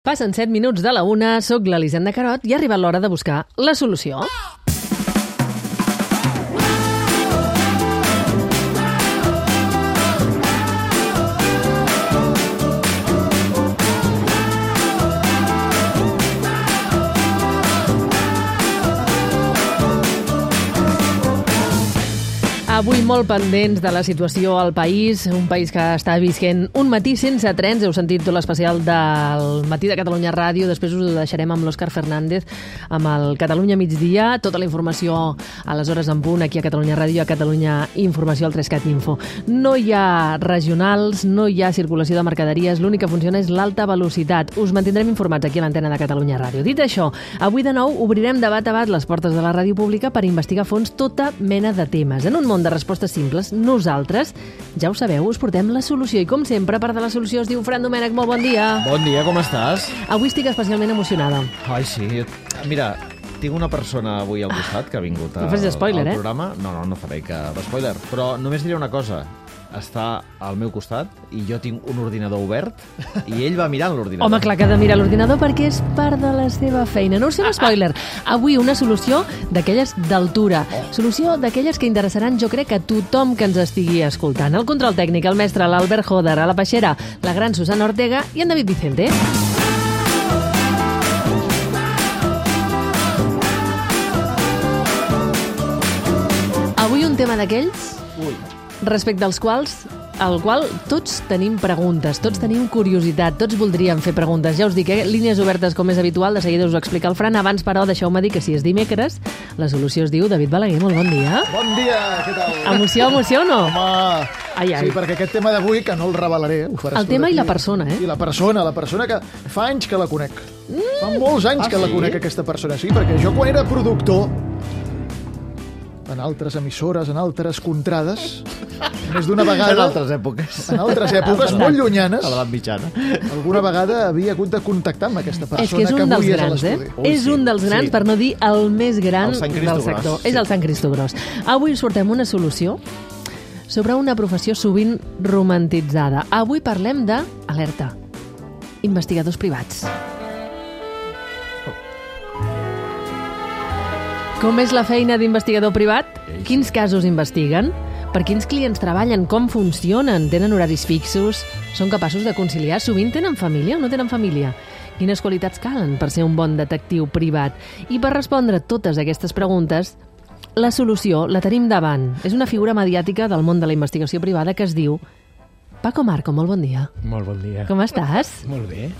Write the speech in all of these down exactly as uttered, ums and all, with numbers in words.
Passen set minuts de la una, soc l'Elisenda Carot i ha arribat l'hora de buscar la solució. Avui molt pendents de la situació al país, un país que està visquent un matí sense trens. Heu sentit tot l'especial del Matí de Catalunya Ràdio, després us ho deixarem amb l'Òscar Fernández, amb el Catalunya Migdia, tota la informació a les hores en punt, aquí a Catalunya Ràdio, a Catalunya Informació, al tres cat Info. No hi ha regionals, no hi ha circulació de mercaderies, l'únic que funciona és l'alta velocitat. Us mantindrem informats aquí a l'antena de Catalunya Ràdio. Dit això, avui de nou obrirem de bat a bat les portes de la ràdio pública per investigar a fons tota mena de temes. En un món de respostes simples, nosaltres, ja ho sabeu, us portem la solució. I com sempre, part de la solució es diu Fran Domènech. Molt bon dia. Bon dia, com estàs? Avui estic especialment emocionada. Ai, sí. Mira, tinc una persona avui al costat que ha vingut a, no facis spoiler, al eh? programa. No, no, no faré cap spoiler. Però només diré una cosa. Està al meu costat i jo tinc un ordinador obert i ell va mirant l'ordinador. Home, clar que ha de mirar l'ordinador perquè és part de la seva feina. No us fem spoiler. Avui una solució d'aquelles d'altura. Oh. Solució d'aquelles que interessaran, jo crec, a tothom que ens estigui escoltant. El control tècnic, el mestre, l'Albert Joder, a la peixera, la gran Susana Ortega i en David Vicente. Avui un tema d'aquells... Ui. Respecte als quals, al qual tots tenim preguntes, tots tenim curiositat, tots voldríem fer preguntes. Ja us dic, eh? Línies obertes com és habitual, de seguida us ho explica el Fran. Abans, però, deixeu-me dir que si és dimecres, la solució es diu David Balaguer. Molt bon dia. Bon dia, què tal? Emoció, emoció o no? Home, ai, ai. Sí, perquè aquest tema d'avui, que no el revelaré... Ho faràs el tema aquí. I la persona, eh? I la persona, la persona que fa anys que la conec. Mm. Fa molts anys ah, que sí? la conec, aquesta persona. Sí, perquè jo quan era productor, en altres emissores, en altres contrades, més d'una vegada... En altres èpoques. En altres èpoques molt llunyanes. A l'edat mitjana. Alguna vegada havia hagut de contactar amb aquesta persona és que, és que un avui dels és a grans, l'estudi. eh? Ui, és sí, un dels grans, sí. per no dir el més gran del sector. Sí. És el Sant Cristo Gros. Avui us portem una solució sobre una professió sovint romantitzada. Avui parlem de, alerta, investigadors privats. Com és la feina d'investigador privat? Quins casos investiguen? Per quins clients treballen? Com funcionen? Tenen horaris fixos? Són capaços de conciliar? Sovint tenen família o no tenen família? Quines qualitats calen per ser un bon detectiu privat? I per respondre totes aquestes preguntes, la solució la tenim davant. És una figura mediàtica del món de la investigació privada que es diu Paco Marco. Molt bon dia. Molt bon dia. Com estàs? Molt bé.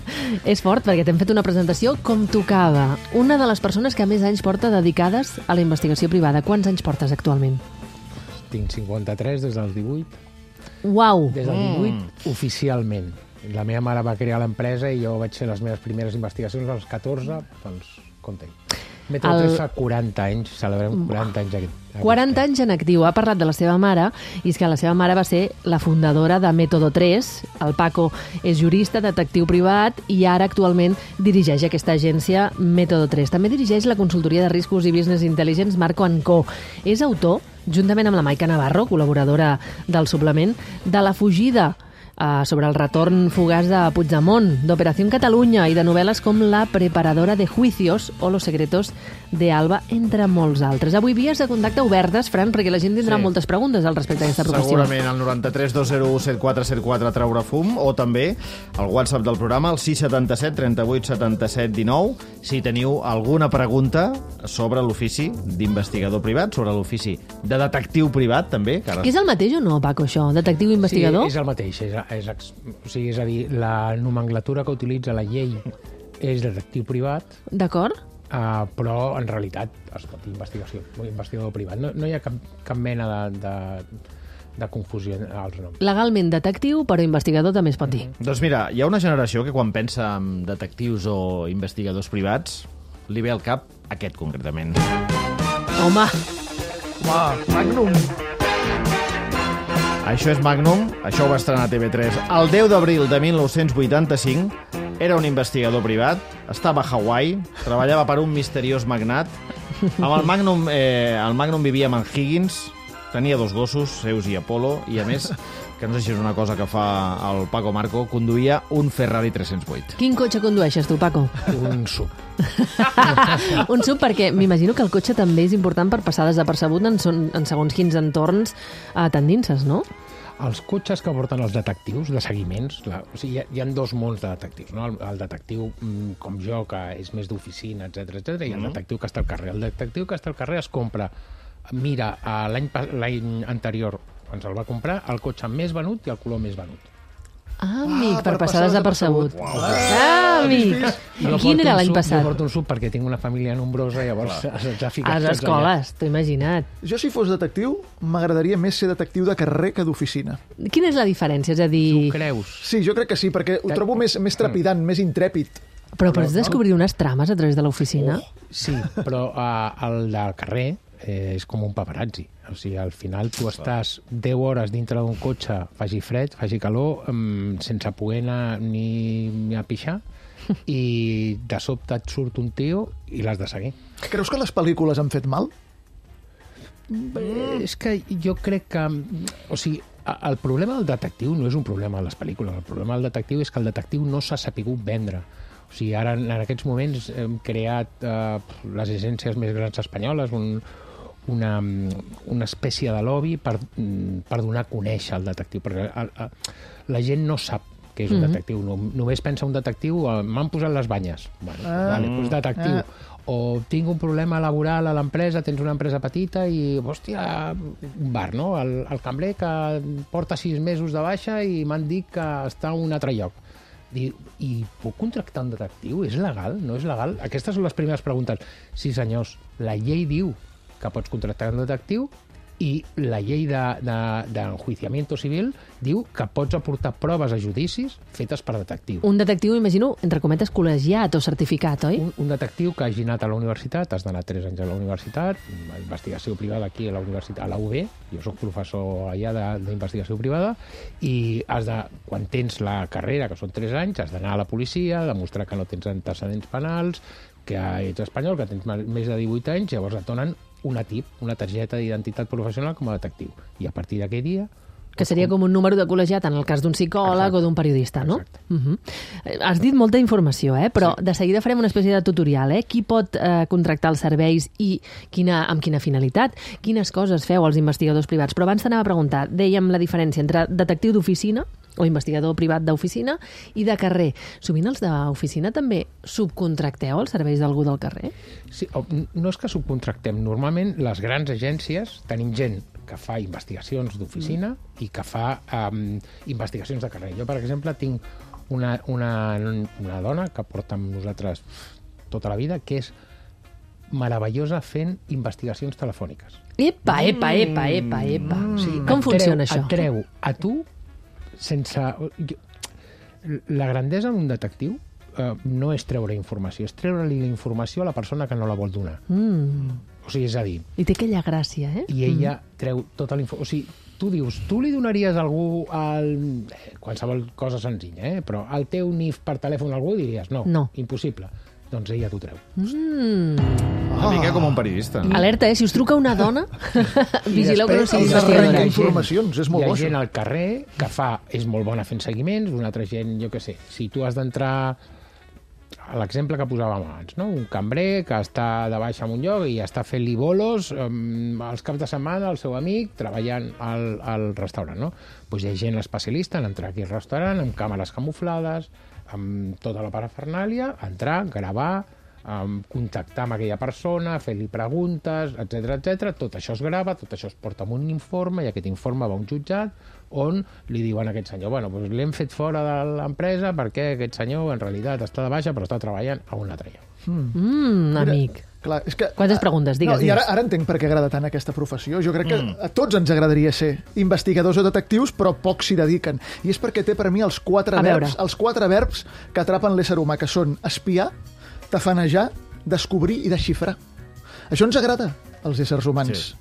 És fort perquè t'hem fet una presentació com tocava. Una de les persones que més anys porta dedicades a la investigació privada. Quants anys portes actualment? Tinc cinquanta-tres des dels divuit. Uau! Des dels divuit, mm. oficialment. La meva mare va crear l'empresa i jo vaig fer les meves primeres investigacions als catorze, doncs, compte. Método tres fa quaranta anys, celebrem quaranta anys aquest. quaranta anys en actiu. Ha parlat de la seva mare, i és que la seva mare va ser la fundadora de Método tres. El Paco és jurista, detectiu privat, i ara actualment dirigeix aquesta agència Método tres. També dirigeix la consultoria de riscos i business intelligence Marco and Co. És autor, juntament amb la Maica Navarro, col·laboradora del suplement, de La fugida, Uh, sobre el retorn fugaç de Puigdemont, d'Operació Catalunya i de novel·les com La preparadora de juicios o Los secretos de Alba, entre molts altres. Avui vies de contacte obertes, Fran, perquè la gent tindrà sí. moltes preguntes al respecte d'aquesta professió. Segurament al noranta-tres dos zero u set quatre set quatre treure fum, o també al WhatsApp del programa, el sis setanta-set trenta-vuit setanta-set dinou, si teniu alguna pregunta sobre l'ofici d'investigador privat, sobre l'ofici de detectiu privat, també. Que ara... És el mateix o no, Paco, això? Detectiu i investigador? Sí, és el mateix. És, és, o sigui, és a dir, la nomenclatura que utilitza la llei és detectiu privat. D'acord. Uh, però en realitat es pot dir investigació, investigador privat. No, no hi ha cap, cap mena de, de, de confusió als noms. Legalment detectiu, però investigador també es pot dir. Mm-hmm. Doncs mira, hi ha una generació que quan pensa en detectius o investigadors privats li ve al cap aquest concretament. Home! Home, Magnum! Això és Magnum, això ho va estrenar a T V tres. El deu d'abril de mil nou-cents vuitanta-cinc era un investigador privat, estava a Hawaii, treballava per un misteriós magnat. Amb el Magnum, eh, el Magnum vivia amb en Higgins, tenia dos gossos, Zeus i Apolo, i a més, que no sé si és una cosa que fa el Paco Marco, conduïa un Ferrari tres-cents vuit. Quin cotxe condueixes tu, Paco? Un sub. Un sub perquè m'imagino que el cotxe també és important per passar desapercebut en, son, en segons quins entorns eh, tendinces, no? Els cotxes que porten els detectius de seguiments, la, o sigui, hi, ha, hi ha dos mons de detectius, no? El, el detectiu mm, com jo, que és més d'oficina, etcètera, etcètera, i el Mm. detectiu que està al carrer. El detectiu que està al carrer es compra, mira, eh, l'any pa- l'any anterior, quan se'l va comprar, el cotxe més venut i el color més venut. Ah, amic, Ah, per, per passar passar desapercebut. desapercebut. Ah, amic. Jo Quin porto era un l'any sub- passat? Jo porto un sub perquè tinc una família nombrosa, llavors se'ns ha ficat A les tots allà. escoles, t'ho he imaginat. Jo, si fos detectiu, m'agradaria més ser detectiu de carrer que d'oficina. Quina és la diferència? És a Tu dir, creus? Sí, jo crec que sí, perquè ho trobo més, més trepidant, més intrèpid. però pots descobrir unes trames a través de l'oficina? Sí, però uh, el del carrer eh, és com un paparazzi. O sigui, al final tu estàs deu hores dintre d'un cotxe, faci fred, faci calor, um, sense poder anar ni, ni a pixar, i de sobte et surt un tio i l'has de seguir. Creus que les pel·lícules han fet mal? Mm. És que jo crec que... O sigui, a- el problema del detectiu no és un problema de les pel·lícules. El problema del detectiu és que el detectiu no s'ha sapigut vendre. O sigui, ara, en aquests moments, hem creat eh, les agències més grans espanyoles, un, una, una espècie de lobby per, per donar a conèixer el detectiu, perquè el, el, la gent no sap què és un Mhm. detectiu. No, només pensa un detectiu, eh, m'han posat les banyes. Bueno, Ah. vale, doncs detectiu. Ah. O tinc un problema laboral a l'empresa, tens una empresa petita i, hòstia, un bar, no? El, el cambrer que porta sis mesos de baixa i m'han dit que està a un altre lloc. I, I puc contractar un detectiu? És legal? No és legal? Aquestes són les primeres preguntes. Sí, senyors, la llei diu que pots contractar un detectiu i la llei d'enjuiciamiento civil diu que pots aportar proves a judicis fetes per detectiu. Un detectiu, imagino, entre cometes, col·legiat o certificat, oi? Un, un detectiu que hagi anat a la universitat, has d'anar tres anys a la universitat, investigació privada aquí a la universitat, a la U B, jo sóc professor allà de- d'investigació privada, i has de, quan tens la carrera, que són tres anys, has d'anar a la policia, demostrar que no tens antecedents penals, que ets espanyol, que tens ma- més de divuit anys, llavors et donen una T I P, una targeta d'identitat professional com a detectiu. I a partir d'aquell dia... Que seria com un número de col·legiat en el cas d'un psicòleg Exacte. o d'un periodista, no? Exacte. Uh -huh. Has dit molta informació, eh? Però sí. De seguida farem una espècie de tutorial, eh? Qui pot eh, contractar els serveis i quina, amb quina finalitat? Quines coses feu els investigadors privats? Però abans t'anava a preguntar, dèiem la diferència entre detectiu d'oficina o investigador privat d'oficina i de carrer. Sovint els d'oficina també subcontracteu els serveis d'algú del carrer? Sí, o- no és que subcontractem. Normalment, les grans agències, tenim gent que fa investigacions d'oficina mm. i que fa um, investigacions de carrer. Jo, per exemple, tinc una, una, una dona que porta amb nosaltres tota la vida, que és meravellosa fent investigacions telefòniques. Epa, epa, epa, epa, epa. Mm. Sí, Et com treu- funciona això? Et treu a tu sense... Jo, la grandesa d'un detectiu eh, no és treure informació, és treure-li la informació a la persona que no la vol donar. Mm. O sigui, és a dir, I té aquella gràcia, eh? i ella mm. treu tota la informació. O sigui, tu dius, tu li donaries a algú el... eh, qualsevol cosa senzilla, eh? Però el teu N I F per telèfon a algú diries no, No. impossible. Doncs ella t'ho treu. Mm. Una mica com un periodista. Alerta, eh? Si us truca una dona, vigileu que no després sigui els hi ha arrenca investigadora. informacions, és molt Hi ha bo, gent això. al carrer que fa, és molt bona fent seguiments, una altra gent, jo què sé, si tu has d'entrar a l'exemple que posàvem abans, no? Un cambrer que està de baixa en un lloc i està fent-li bolos um, els caps de setmana al seu amic treballant al, al restaurant, no? Pues hi ha gent especialista en entrar aquí al restaurant amb càmeres camuflades, amb tota la parafernàlia, entrar, gravar, um, contactar amb aquella persona, fer-li preguntes, etcètera, etcètera. Tot això es grava, tot això es porta amb un informe i aquest informe va a un jutjat on li diuen a aquest senyor, bueno, doncs l'hem fet fora de l'empresa perquè aquest senyor en realitat està de baixa però està treballant a un altre lloc. Mm, amic. Clar, és que, Quantes preguntes? Digues, no, I ara, digues. ara entenc per què agrada tant aquesta professió. Jo crec que a tots ens agradaria ser investigadors o detectius, però pocs s'hi dediquen. I és perquè té per mi els quatre A verbs, veure. els quatre verbs que atrapen l'ésser humà, que són espiar, tafanejar, descobrir i desxifrar. Això ens agrada, als éssers humans. Sí.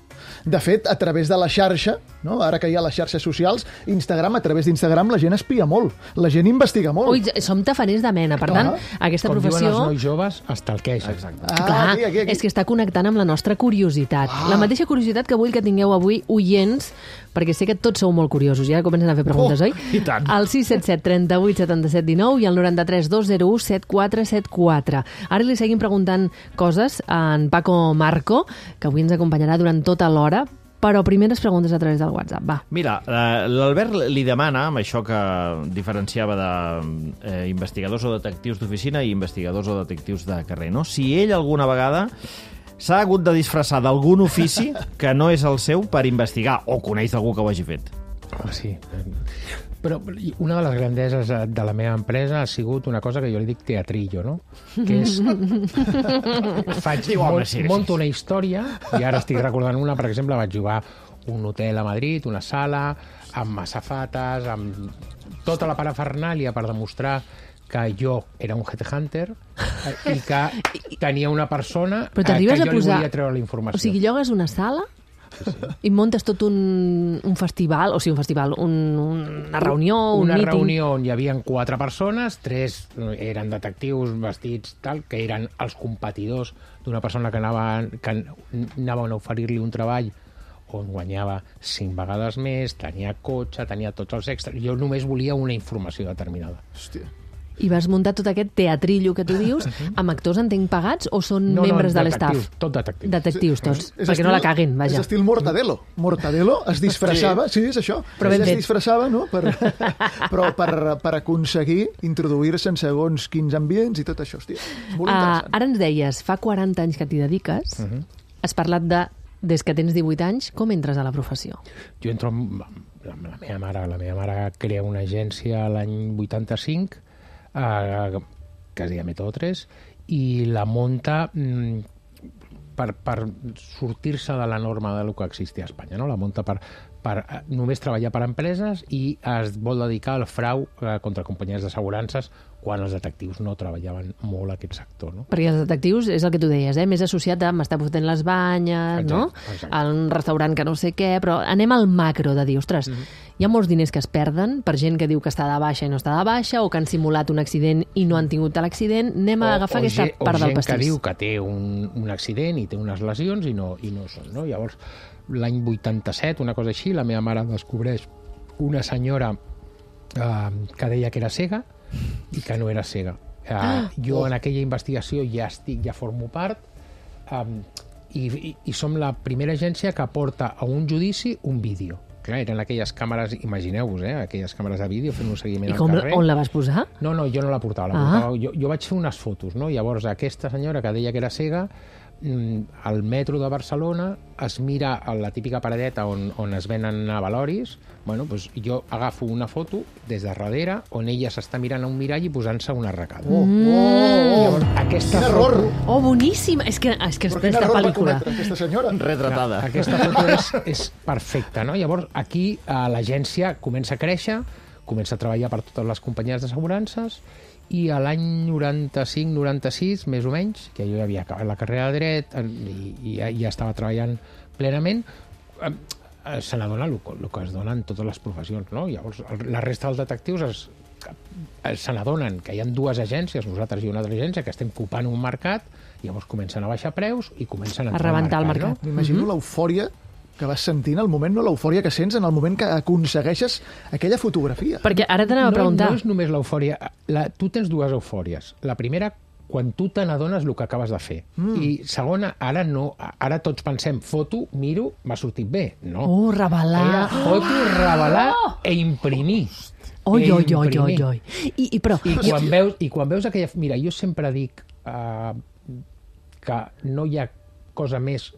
De fet, a través de la xarxa, no? Ara que hi ha les xarxes socials, Instagram, a través d'Instagram, la gent espia molt. La gent investiga molt. Ui, som tafaners de mena, per tant, Ah. aquesta Com professió... diuen els nois joves, hasta el queix. Exacte. Ah, Clar, aquí, aquí, aquí. és que està connectant amb la nostra curiositat. La mateixa curiositat que vull que tingueu avui, oients, perquè sé que tots sou molt curiosos i ara comencen a fer preguntes, Oh, oi? i tant. Al sis set set, trenta-vuit, setanta-set, dinou i al noranta-tres, dos zero u, set quatre set quatre. Ara li seguim preguntant coses a en Paco Marco, que avui ens acompanyarà durant tota l'hora, però primeres preguntes a través del WhatsApp, va. Mira, eh, l'Albert li demana, amb això que diferenciava d'investigadors o detectius d'oficina i investigadors o detectius de carrer, no? Si ell alguna vegada s'ha hagut de disfressar d'algun ofici que no és el seu per investigar, o coneix algú que ho hagi fet. Ah, sí. Però una de les grandeses de la meva empresa ha sigut una cosa que jo li dic teatrillo, no? Que és... Faig, Diu, home, mont, sí, sí, monto sí. una història, i ara estic recordant una, per exemple, vaig jugar un hotel a Madrid, una sala, amb azafates, amb tota la parafernàlia per demostrar que jo era un headhunter eh, i que tenia una persona Però eh, que t'arribes jo a li posar... volia treure la informació. O sigui, llogues una sala i muntes tot un, un festival, o sigui, un festival, un, una reunió, un una meeting... reunió on hi havia quatre persones, tres eren detectius vestits tal, que eren els competidors d'una persona que anava, que anaven a oferir-li un treball on guanyava cinc vegades més, tenia cotxe, tenia tots els extras. Jo només volia una informació determinada. Hòstia. I vas muntar tot aquest teatrillo que tu dius, amb actors, entenc, pagats, o són No, no, membres de detectius, l'estaf? tot detectius. Detectius, tots, És perquè no la caguin, vaja. És estil Mortadelo. Mortadelo es disfressava, sí, és això. Però ben Ell es fet. disfressava, no? Per, però per, per aconseguir introduir-se en segons quins ambients i tot això, hòstia. És molt Uh, interessant. ara ens deies, fa quaranta anys que t'hi dediques, uh -huh. has parlat de, des que tens divuit anys, com entres a la professió? Jo entro amb, amb la meva mare. La meva mare crea una agència l'any vuitanta-cinc, eh, que es deia Método tres, i la munta mm, per, per sortir-se de la norma de lo que existia a Espanya, no? La munta per, per eh, només treballar per empreses i es vol dedicar al frau eh, contra companyies d'assegurances quan els detectius no treballaven molt aquest sector, no? Perquè els detectius, és el que tu deies, eh? Més associat a m'estar fotent les banyes, Exacte, no? exacte. A un restaurant que no sé què, però anem al macro de dir, ostres, Mhm. hi ha molts diners que es perden per gent que diu que està de baixa i no està de baixa, o que han simulat un accident i no han tingut l'accident. Anem a agafar o, aquesta gent, part o del gent pastís. que diu que té un, un accident i té unes lesions i no, i no són, no? Llavors, l'any vuitanta-set, una cosa així, la meva mare descobreix una senyora eh, que deia que era cega i que no era cega. Eh, Ah! jo en aquella investigació ja estic, ja formo part, eh, i, i, i som la primera agència que porta a un judici un vídeo. Clar, eren aquelles càmeres, imagineu-vos, eh, aquelles càmeres de vídeo fent un seguiment I al com, carrer. on la vas posar? No, no, jo no la portava, la Ah. portava. Jo, jo vaig fer unes fotos, no? Llavors aquesta senyora que deia que era cega, mm, al metro de Barcelona es mira a la típica paradeta on, on es venen avaloris. Bueno, doncs jo agafo una foto des de darrere on ella s'està mirant a un mirall i posant-se una arracada. Oh, oh, Mm. oh, Llavors, aquesta quin error! foto, Oh, boníssim! És que, és que Però és quin aquesta error va pel·lícula. cometre aquesta senyora? Retratada. aquesta foto és, és perfecta, no? Llavors, aquí eh, l'agència comença a créixer, comença a treballar per totes les companyies d'assegurances, i a l'any noranta-cinc noranta-sis, més o menys, que jo ja havia acabat la carrera de dret eh, i, i ja, ja estava treballant plenament, eh, eh, se n'adona el, el que es dona en totes les professions, no? Llavors, el, la resta dels detectius es, eh, se n'adonen que hi ha dues agències, nosaltres i una altra agència, que estem copant un mercat, llavors comencen a baixar preus i comencen a, A rebentar el mercat. No? M'imagino l'eufòria que vas sentir en el moment, no l'eufòria que sents en el moment que aconsegueixes aquella fotografia. Perquè ara t'anava a preguntar... No, no és només l'eufòria. La, tu tens dues eufòries. La primera, quan tu te n'adones el que acabes de fer. Mm. I segona, ara no. Ara tots pensem, foto, miro, m'ha sortit bé. No. Oh, revelar... Era foto, revelar e imprimir. Oi, E oi, oi, oi, imprimir. oi. I, i, però... I quan, veus, I quan veus aquella... Mira, jo sempre dic uh, que no hi ha cosa més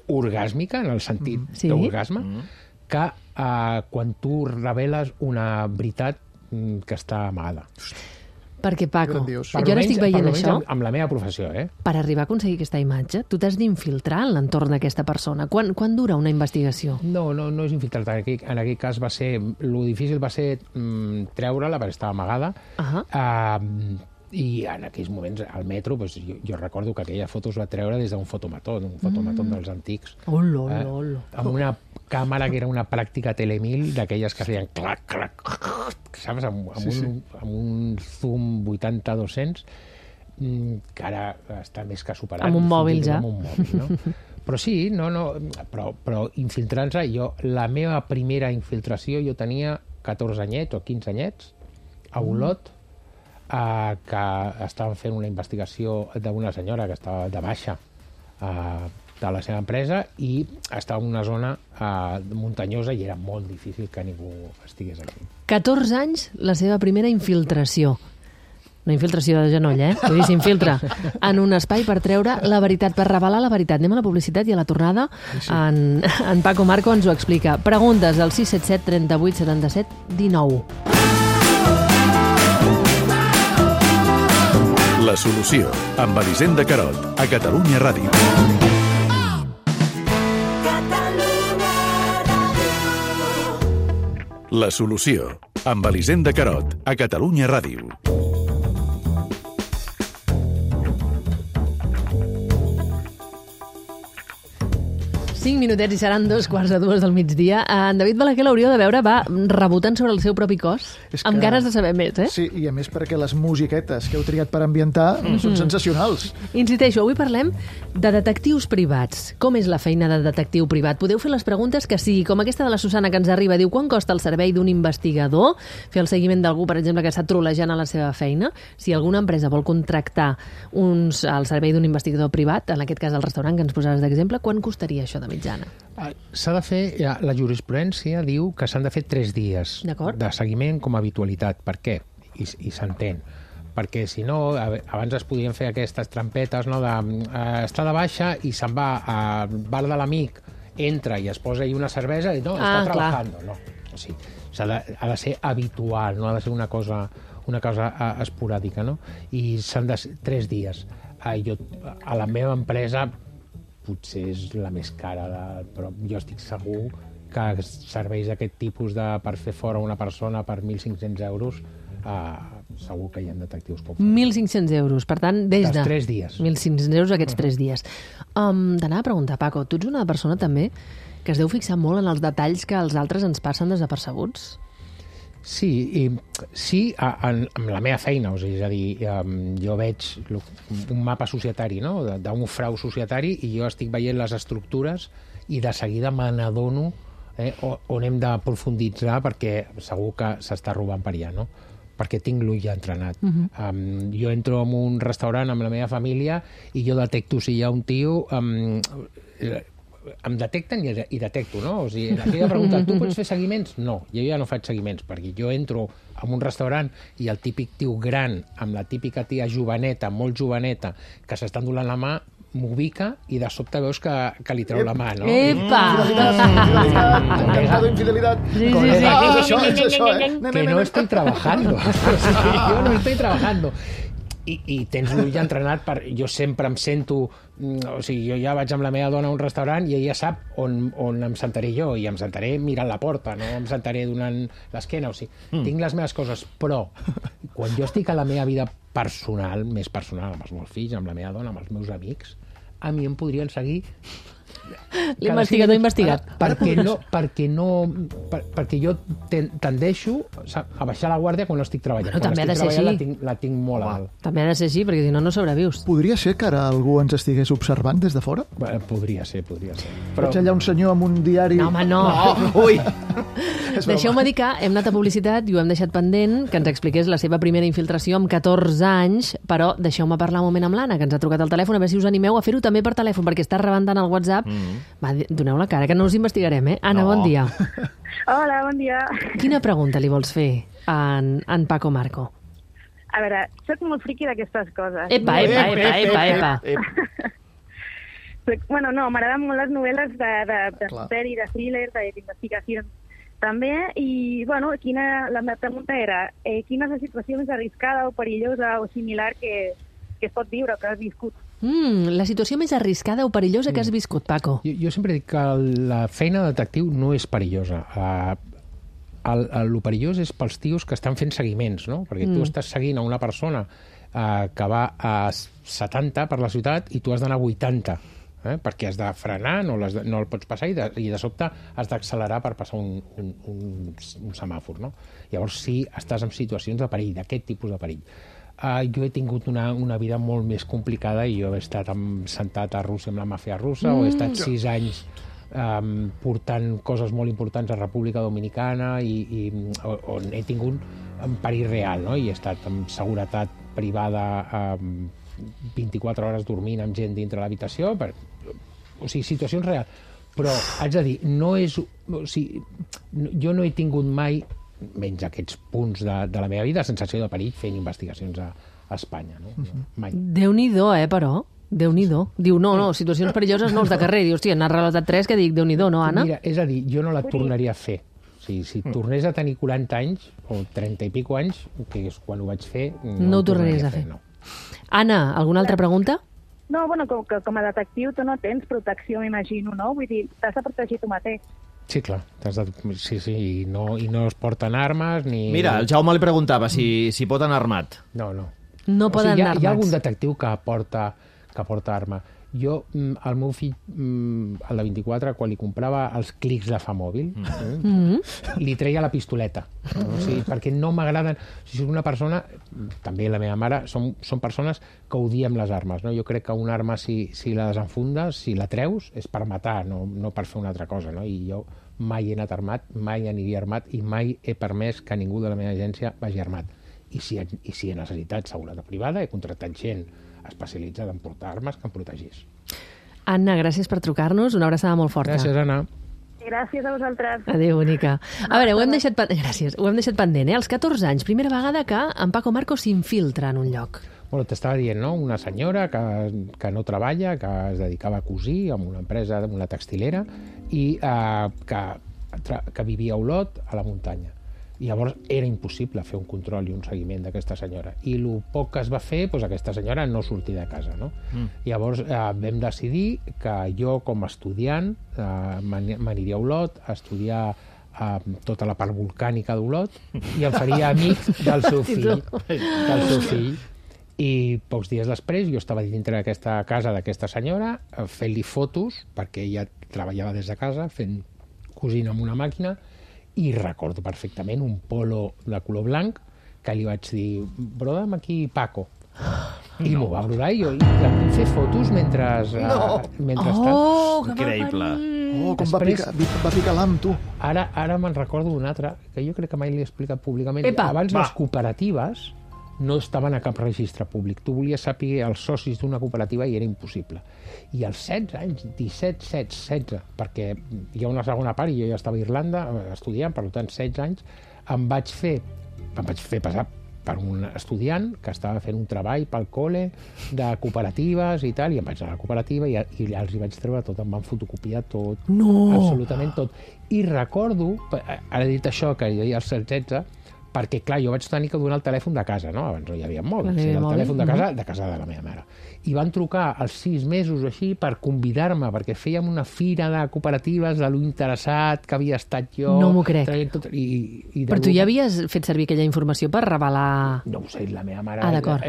orgàsmica, en el sentit mm. Sí. d'orgasme, mm. que uh, quan tu reveles una veritat mm, que està amagada. Perquè, Paco, Grandiós. jo ara estic veient això, Amb, amb la meva professió, eh? per arribar a aconseguir aquesta imatge, tu t'has d'infiltrar en l'entorn d'aquesta persona. Quan, quan dura una investigació? No, no, no és infiltrat. En aquell, en aquell cas va ser... Lo difícil va ser mm, treure-la, perquè estava amagada, Ahà. uh, I en aquells moments, al metro, doncs, jo, jo recordo que aquella foto es va treure des d'un fotomató, d'un fotomató mm. dels antics. Olo, eh? olo. Amb una càmera que era una pràctica telemil, d'aquelles que feien clac, clac, saps? Amb, amb, sí, un, sí. amb un zoom vuitanta dos-cents, que ara està més que superat. Amb un mòbil ja. Amb un mòbil, no? Però sí, no, no, però, però infiltrant-se, jo, la meva primera infiltració, jo tenia catorze anyets o quinze anyets, a Olot, mm. Uh, que estaven fent una investigació d'una senyora que estava de baixa uh, de la seva empresa i estava en una zona uh, muntanyosa i era molt difícil que ningú estigués aquí. catorze anys, la seva primera infiltració. No infiltració de genoll, eh? Vull dir, s'infiltra en un espai per treure la veritat, per revelar la veritat. Anem a la publicitat i a la tornada sí, sí. En, en Paco Marco ens ho explica. Preguntes al sis set set, trenta-vuit, setanta-set, dinou. La solució, amb Elisenda Carot, a Catalunya Ràdio. La solució, amb Elisenda Carot, a Catalunya Ràdio. Cinc minutets i seran dos quarts de dues del migdia. En David Balaguer l'hauríeu de veure, va rebotant sobre el seu propi cos, que, amb ganes de saber més, eh? Sí, i a més perquè les musiquetes que heu triat per ambientar mm-hmm. són sensacionals. Insisteixo, avui parlem de detectius privats. Com és la feina de detectiu privat? Podeu fer les preguntes que sigui, com aquesta de la Susana que ens arriba. Diu, quan costa el servei d'un investigador? Fer el seguiment d'algú, per exemple, que està trolejant a la seva feina? Si alguna empresa vol contractar uns, el servei d'un investigador privat, en aquest cas el restaurant que ens posaves d'exemple, quan costaria això de mitjana? S'ha de fer, ja, la jurisprudència diu que s'han de fer tres dies de seguiment com a habitualitat. Per què? I, i s'entén. Perquè si no, abans es podien fer aquestes trampetes, no, de eh, estar de baixa i se'n va al bar de l'amic, entra i es posa ahí una cervesa i no, ah, està treballant. No. O sigui, ha de, ha de ser habitual, no ha de ser una cosa, una cosa esporàdica, no? I s'han de ser tres dies. A, jo, a la meva empresa potser és la més cara, de, però jo estic segur que serveis d'aquest tipus de, per fer fora una persona per mil cinc-cents euros, eh, segur que hi ha detectius com mil cinc-cents euros, per tant, des de... Dels tres dies. mil cinc-cents euros aquests uh-huh. tres dies. Um, T'anava a preguntar, Paco, tu ets una persona també que es deu fixar molt en els detalls que els altres ens passen desapercebuts? Sí, i, sí a, a, amb la meva feina, o sigui, és a dir, um, jo veig un mapa societari, no?, d'un frau societari, i jo estic veient les estructures i de seguida me n'adono eh, on hem de profunditzar perquè segur que s'està robant per allà, no? Perquè tinc l'ull ja entrenat. Uh-huh. um, jo entro en un restaurant amb la meva família i jo detecto si hi ha un tio... Um, em detecten i, i detecto, no? O sigui, aquella pregunta, tu pots fer seguiments? No, jo ja no faig seguiments, perquè jo entro en un restaurant i el típic tio gran, amb la típica tia joveneta, molt joveneta, que s'estan donant la mà, m'ubica i de sobte veus que, que li treu la mà, no? Epa! Infidelitat, infidelitat. Sí, sí, sí. Ah, és això, és això, eh? Que no estoy trabajando. Jo no estoy trabajando. I, i tens l'ull entrenat per... Jo sempre em sento... O sigui, jo ja vaig amb la meva dona a un restaurant i ella sap on, on em sentaré jo, i em sentaré mirant la porta, no em sentaré donant l'esquena, o sigui, mm. tinc les meves coses, però quan jo estic a la meva vida personal, més personal, amb els meus fills, amb la meva dona, amb els meus amics, a mi em podrien seguir... L'investigador investigat. Perquè no, perquè no, per, perquè jo tendeixo a baixar la guàrdia quan no estic treballant. Bueno, quan també estic ha de ser treballant així. la tinc, la tinc molt a dalt. També ha de ser així, perquè si no, no sobrevius. Podria ser que ara algú ens estigués observant des de fora? Bé, podria ser, podria ser. Però... Veig allà un senyor amb un diari... No, home, no. no. Ui! Deixeu-me dir que hem anat a publicitat i ho hem deixat pendent, que ens expliqués la seva primera infiltració amb catorze anys, però deixeu-me parlar un moment amb l'Anna, que ens ha trucat al telèfon, a veure si us animeu a fer-ho també per telèfon, perquè està rebentant el WhatsApp. Mm. Va, doneu la cara, que no us investigarem, eh? Anna, no. Bon dia. Hola, bon dia. Quina pregunta li vols fer en, en Paco Marco? A veure, soc molt friqui d'aquestes coses. Epa, epa, epa, epa, epa. epa. Bueno, no, m'agraden molt les novel·les de, de, de misteri, de thriller, d'investigació també, i, bueno, quina, la meva pregunta era eh, quina és la situació més arriscada o perillosa o similar que, que es pot viure o que has viscut? Mm, la situació més arriscada o perillosa que has viscut, Paco? Jo, jo sempre dic que la feina de detectiu no és perillosa. Uh, el, el, el perillós és pels tios que estan fent seguiments, no? Perquè mm. tu estàs seguint a una persona eh, que va a setanta per la ciutat i tu has d'anar a vuitanta, eh? perquè has de frenar, no, de, no el pots passar i de, i de sobte has d'accelerar per passar un, un, un, un semàfor. No? Llavors sí, estàs en situacions de perill, d'aquest tipus de perill. Uh, jo he tingut una, una vida molt més complicada i jo he estat amb, sentat a Rússia amb la màfia russa, mm. o he estat sis anys um, portant coses molt importants a República Dominicana i, i on he tingut un perill real, no? I he estat amb seguretat privada um, vint-i-quatre hores dormint amb gent dintre l'habitació, per... o sigui, situacions reals. Però haig de dir, no és... O sigui, jo no he tingut mai, menys aquests punts de, de la meva vida, sensació de perill fent investigacions a, a Espanya. No? No, mai. Déu-n'hi-do, eh, però? Déu-n'hi-do. Diu, no, no, situacions perilloses no els de carrer. Diu, hòstia, n'ha relatat tres que dic, Déu-n'hi-do, no, Anna? Mira, és a dir, jo no la tornaria a fer. O sigui, si tornés a tenir quaranta anys, o trenta i pico anys, que és quan ho vaig fer, no, no ho tornaries a fer. No. Anna, alguna altra pregunta? No, bueno, com, com a detectiu tu no tens protecció, m'imagino, no? Vull dir, t'has de protegir tu mateix. Sí, clar. De... Sí, sí, i no, i no es porten armes ni... Mira, el Jaume li preguntava si, si pot anar armat. No, no. No poden o sigui, hi ha, anar armats. Hi ha algun detectiu que porta, que porta arma. Jo, el meu fill, el de vint-i-quatre, quan li comprava els clics de fa mòbil, mm. eh, li treia la pistoleta. No? O sigui, perquè no m'agraden... O sigui, una persona, també la meva mare, són, són persones que odiem les armes. No? Jo crec que una arma, si, si la desenfundes, si la treus, és per matar, no, no per fer una altra cosa. No? I jo mai he anat armat, mai aniria armat i mai he permès que ningú de la meva agència vagi armat. I si, i si he necessitat seguretat privada, he contractat gent especialitzada en portar armes que em protegís. Anna, gràcies per trucar-nos. Una abraçada molt forta. Gràcies, Anna. Gràcies a vosaltres. Adéu, bonica. A veure, ho hem deixat, gràcies, ho hem deixat pendent, eh? Als catorze anys, primera vegada que en Paco Marco s'infiltra en un lloc. Bueno, t'estava dient, no? Una senyora que, que no treballa, que es dedicava a cosir en una empresa, en una textilera, i eh, que, que vivia a Olot, a la muntanya. I llavors era impossible fer un control i un seguiment d'aquesta senyora. I el poc que es va fer, doncs aquesta senyora no sortia de casa. No? Mm. Llavors eh, vam decidir que jo, com a estudiant, eh, m'aniria a Olot a estudiar eh, tota la part volcànica d'Olot i em faria amic del seu fill. del seu fill. I pocs dies després jo estava dintre d'aquesta casa d'aquesta senyora fent-li fotos, perquè ella treballava des de casa, fent cosint amb una màquina, i recordo perfectament un polo de color blanc que li vaig dir, broda'm aquí Paco. I no. M'ho va brodar i jo i la puc fer fotos mentre... No. Uh, mentre oh, està... Increïble. Oh, com Després, va picar, va picar l'am, tu. Ara, ara me'n recordo d'un altre, que jo crec que mai l'he explicat públicament. Epa, Abans va. les cooperatives no estaven a cap registre públic. Tu volies saber els socis d'una cooperativa i era impossible. I als setze anys, disset, setze, setze, perquè hi ha una segona part i jo ja estava a Irlanda estudiant, per tant, setze anys, em vaig fer, em vaig fer passar per un estudiant que estava fent un treball pel col·le de cooperatives i tal, i em vaig anar a la cooperativa i, i els hi vaig treure tot, em van fotocopiar tot, no. absolutament tot. I recordo, ara he dit això, que jo ja als setze, perquè, clar, jo vaig tenir que donar el telèfon de casa, no? Abans no hi havia mòbils, era el telèfon de casa, de casa de la meva mare. I van trucar als sis mesos o així per convidar-me, perquè fèiem una fira de cooperatives de lo interessat que havia estat jo. No m'ho crec. Tot, i, i Però tu ja havies fet servir aquella informació per revelar... No ho sé, la meva mare... Ah, d'acord.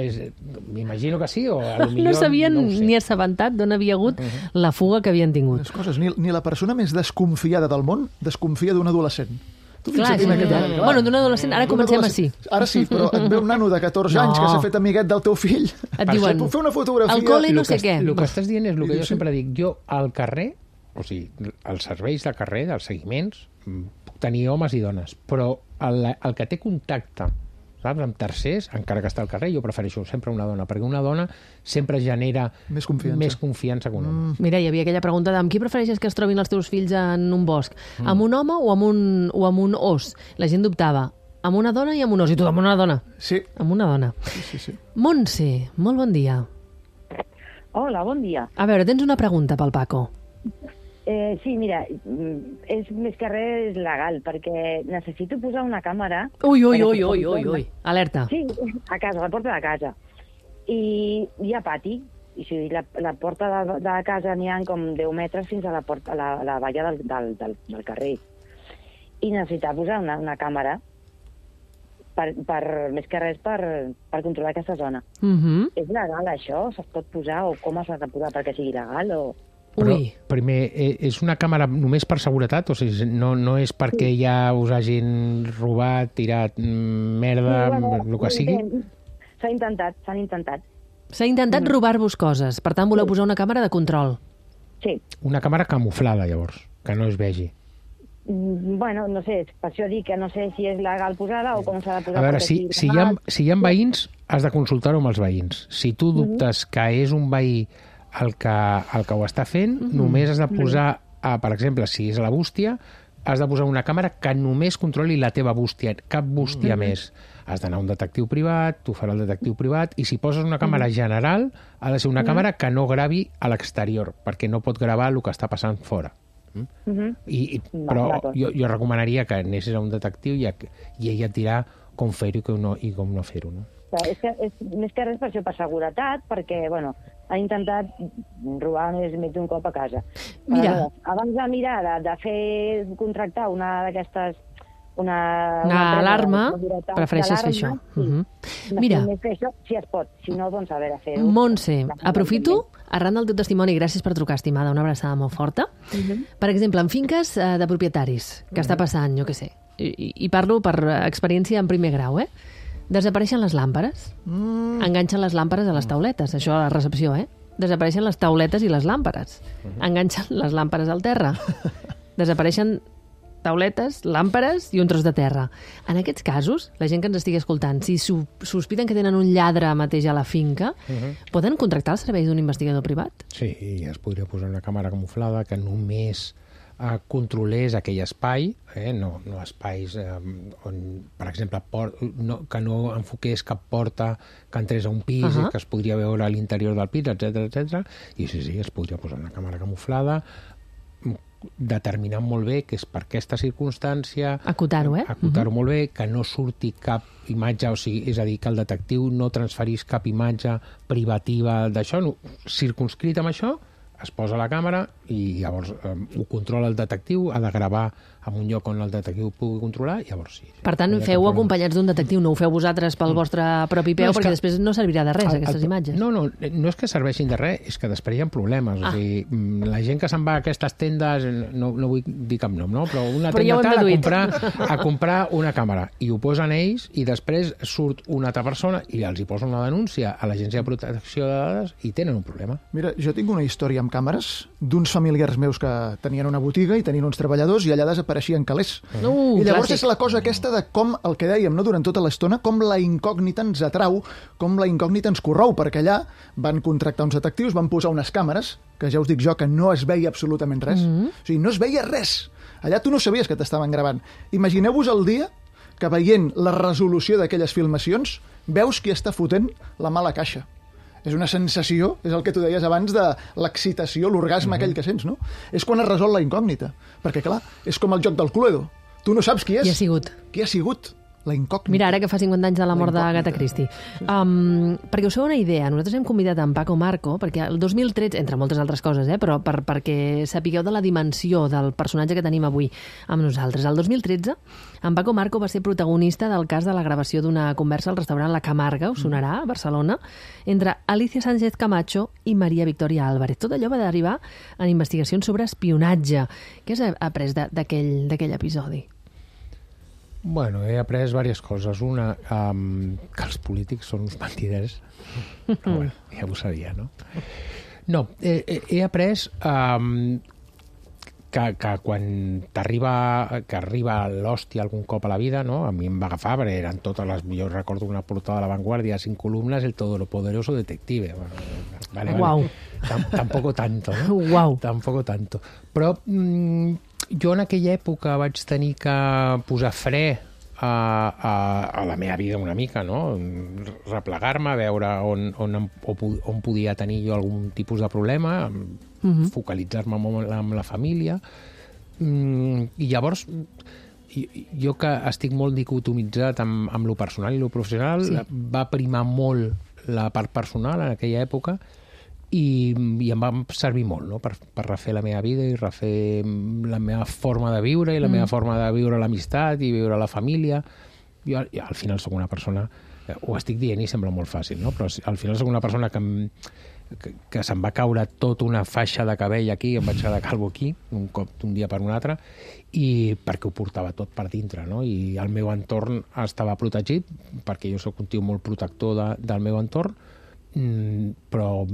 M'imagino que sí, o a lo millor... No s'havien no ni assabentat d'on havia hagut uh -huh. la fuga que havien tingut. Les coses, ni, ni la persona més desconfiada del món desconfia d'un adolescent. Tu clar, sí, aquest, clar. Bueno, d'un adolescent, ara comencem així. Ara sí, però et ve un nano de catorze no. anys que s'ha fet amiguet del teu fill. Et diuen, puc fer una fotografia... al col·le no sé que, què. El que estàs dient és el que jo sempre dic. Jo, al carrer, o sigui, els serveis de carrer, dels seguiments, puc tenir homes i dones, però el, el que té contacte, saps, amb tercers, encara que està al carrer, jo prefereixo sempre una dona, perquè una dona sempre genera més confiança, més confiança que un home. Mm. Mira, hi havia aquella pregunta de amb qui prefereixes que es trobin els teus fills en un bosc? Mm. Amb un home o amb un, o amb un os? La gent dubtava. Amb una dona i amb un os. I tu amb una dona? Sí. Amb una dona. Sí, sí, sí. Montse, molt bon dia. Hola, bon dia. A veure, tens una pregunta pel Paco. Eh, sí, mira, és més que res legal, perquè necessito posar una càmera... Ui, ui, ui, ui, ui, ui. Alerta. Sí, a casa, a la porta de casa. I hi ha pati, i o sigui, la, la porta de, de casa n'hi ha com deu metres fins a la, porta, a la, a la valla del, del, del, del carrer. I necessitava posar una, una càmera per, per, més que res per, per controlar aquesta zona. Mhm. És legal això? Se'ls pot posar o com s'ha de posar perquè sigui legal? O... Però, Ui. primer, eh, és una càmera només per seguretat? O sigui, no, no és perquè ja us hagin robat, tirat mm, merda, Sí, bueno, el que sigui? S'ha intentat, s'han intentat. S'ha intentat robar-vos coses, per tant voleu posar una càmera de control. Sí. Una càmera camuflada, llavors, que no es vegi. Mm, Bueno, no sé, per això dic que no sé si és legal posar-la o com s'ha de posar. A veure, perquè si, sigui si, hi ha, legal. si hi ha veïns, has de consultar-ho amb els veïns. Si tu dubtes que és un veí el que, el que ho està fent, només has de posar, a, per exemple, si és la bústia, has de posar una càmera que només controli la teva bústia, cap bústia més. Has d'anar a un detectiu privat, t'ho farà el detectiu privat, i si poses una càmera general, ha de ser una càmera que no gravi a l'exterior, perquè no pot gravar el que està passant fora. Mm? Mhm. I, i, Va, però d'acord. jo, jo recomanaria que anessis a un detectiu i, a, i ell et dirà com fer-ho i, com no, i com no fer-ho. No? Clar, És, que, és més que res per això, per seguretat, perquè, bueno, ha intentat robar més, més d'un cop a casa. Mira. Aleshores, abans de mirar, de, de fer, contractar una d'aquestes... Una, Una empresa alarma, de seguretat prefereixes fer això. d'alarma, Sí. Mhm. De Mira. fer Més que això, si es pot. Si no, doncs a veure, fer-ho. Montse, La- aprofito, arran del teu testimoni, gràcies per trucar, estimada, una abraçada molt forta. Per exemple, en finques eh, de propietaris, que està passant, jo què sé, i, i parlo per experiència en primer grau, eh? Desapareixen les làmperes, mm. enganxen les làmperes a les tauletes, això a la recepció, eh? Desapareixen les tauletes i les làmperes, enganxen les làmperes al terra, desapareixen tauletes, làmperes i un tros de terra. En aquests casos, la gent que ens estigui escoltant, si su- sospiten que tenen un lladre mateix a la finca, poden contractar els serveis d'un investigador privat? Sí, i es podria posar una càmera camuflada que només eh, controlés aquell espai, eh, no, no espais eh, on, per exemple, por, no, que no enfoqués cap porta que entrés a un pis Ahà. i que es podria veure a l'interior del pis, etcètera, etcètera. I sí, sí, es podria posar una càmera camuflada, determinant molt bé que és per aquesta circumstància, Acotar-ho, eh? acotar-ho molt bé, que no surti cap imatge, o sigui, és a dir, que el detectiu no transferís cap imatge privativa d'això, no, circunscrit amb això, es posa la càmera i llavors eh, ho controla el detectiu, ha de gravar en un lloc on el detectiu pugui controlar, i llavors sí. Per tant, No hi ha cap feu problema. acompanyats d'un detectiu, no ho feu vosaltres pel vostre propi peu, No, és perquè que- després no servirà de res, El- aquestes el- imatges. No, no, no és que serveixin de res, és que després hi ha problemes. Ah. O sigui, mm, la gent que se'n va a aquestes tendes, no, no vull dir cap nom, no? Però una Però ja tenda ho hem tal a deduït. comprar, a comprar una càmera i ho posen ells i després surt una altra persona i els hi posa una denúncia a l'Agència de Protecció de Dades i tenen un problema. Mira, jo tinc una història amb càmeres d'uns familiars meus que tenien una botiga i tenien uns treballadors i allà desapareixien calés. Uh, I llavors clàssic. és la cosa aquesta de com, el que dèiem, no, durant tota l'estona, com la incògnita ens atrau, com la incògnita ens corrou, perquè allà van contractar uns detectius, van posar unes càmeres, que ja us dic jo que no es veia absolutament res. Mm-hmm. O sigui, no es veia res. Allà tu no sabies que t'estaven gravant. Imagineu-vos el dia que veient la resolució d'aquelles filmacions veus qui està fotent la mala caixa. És una sensació, és el que tu deies abans de l'excitació, l'orgasme aquell que sents, no? És quan es resol la incògnita. Perquè, clar, és com el joc del Cluedo. Tu no saps qui és. Qui ha sigut? Qui ha sigut? La incògnita. Mira, ara que fa cinquanta anys de la mort La d'Agatha incògnita. Christie. Um, perquè us feu una idea, nosaltres hem convidat en Paco Marco, perquè el dos mil tretze, entre moltes altres coses, eh, però per, perquè sapigueu de la dimensió del personatge que tenim avui amb nosaltres. El dos mil tretze, en Paco Marco va ser protagonista del cas de la gravació d'una conversa al restaurant La Camarga, us sonarà, a Barcelona, entre Alicia Sánchez Camacho i Maria Victoria Álvarez. Tot allò va derivar en investigacions sobre espionatge. Què has après de- d'aquell d'aquell episodi? Bueno, he après diverses coses. Una, um, que els polítics són uns mentiders. Però bueno, ja ho sabia, no? No, he, he, he après um, que, que quan t'arriba que arriba l'hòstia algun cop a la vida, no? A mi em va agafar, perquè eren totes les... Jo recordo una portada de La Vanguardia, cinc columnes, el todopoderoso detective. Bueno, vale, Guau. vale. Tam, tampoco tanto, no? Guau. Tampoco tanto. Però mm, jo en aquella època vaig tenir que posar fre a, a, a la meva vida una mica, no? Replegar-me, veure on, on, em- on, on podia tenir jo algun tipus de problema, Mhm. focalitzar-me molt amb la família. Mm, I llavors, i- jo que estic molt dicotomitzat amb, amb lo personal i lo professional, Sí. va primar molt la part personal en aquella època i, i em va servir molt, no? per, per refer la meva vida i refer la meva forma de viure i la mm. meva forma de viure l'amistat i viure la família. jo al final sóc una persona, ho estic dient i sembla molt fàcil, no? Però al final sóc una persona que, que, que se'm va caure tota una faixa de cabell aquí, em vaig quedar calvo aquí, un cop d'un dia per un altre, i perquè ho portava tot per dintre, no? I el meu entorn estava protegit, perquè jo sóc un tio molt protector de, del meu entorn, però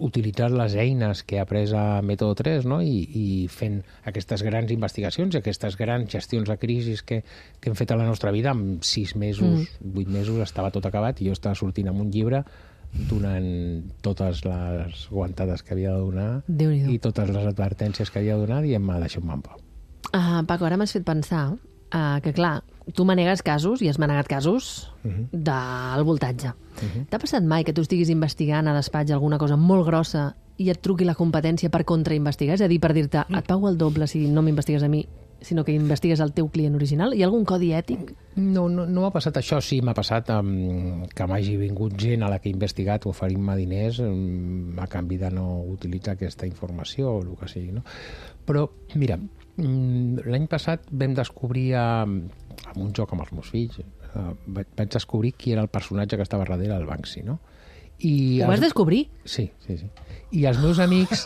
utilitzar les eines que he après a Método tres, no? I, i fent aquestes grans investigacions, aquestes grans gestions de crisis que, que hem fet a la nostra vida, en sis mesos, mm. vuit mesos, estava tot acabat i jo estava sortint amb un llibre donant totes les guantades que havia de donar i totes les advertències que havia de donar i em va deixar un pau. Uh, Paco, ara m'has fet pensar uh, que, clar, tu manegues casos, i has manegat casos, uh-huh. del voltatge. Uh-huh. T'ha passat mai que tu estiguis investigant a despatx alguna cosa molt grossa i et truqui la competència per contrainvestigar? És a dir, per dir-te, et pago el doble si no m'investigues a mi, sinó que investigues el teu client original? Hi ha algun codi ètic? No, no, no m'ha passat això. Sí, m'ha passat um, que m'hagi vingut gent a la que he investigat oferint-me diners um, a canvi de no utilitzar aquesta informació o el que sigui, no? Però, mira, um, l'any passat vam descobrir um, amb un joc amb els meus fills, uh, vaig, vaig descobrir qui era el personatge que estava darrere del Banksy, no? I Ho vas els... descobrir? Sí, sí, sí. I els meus amics,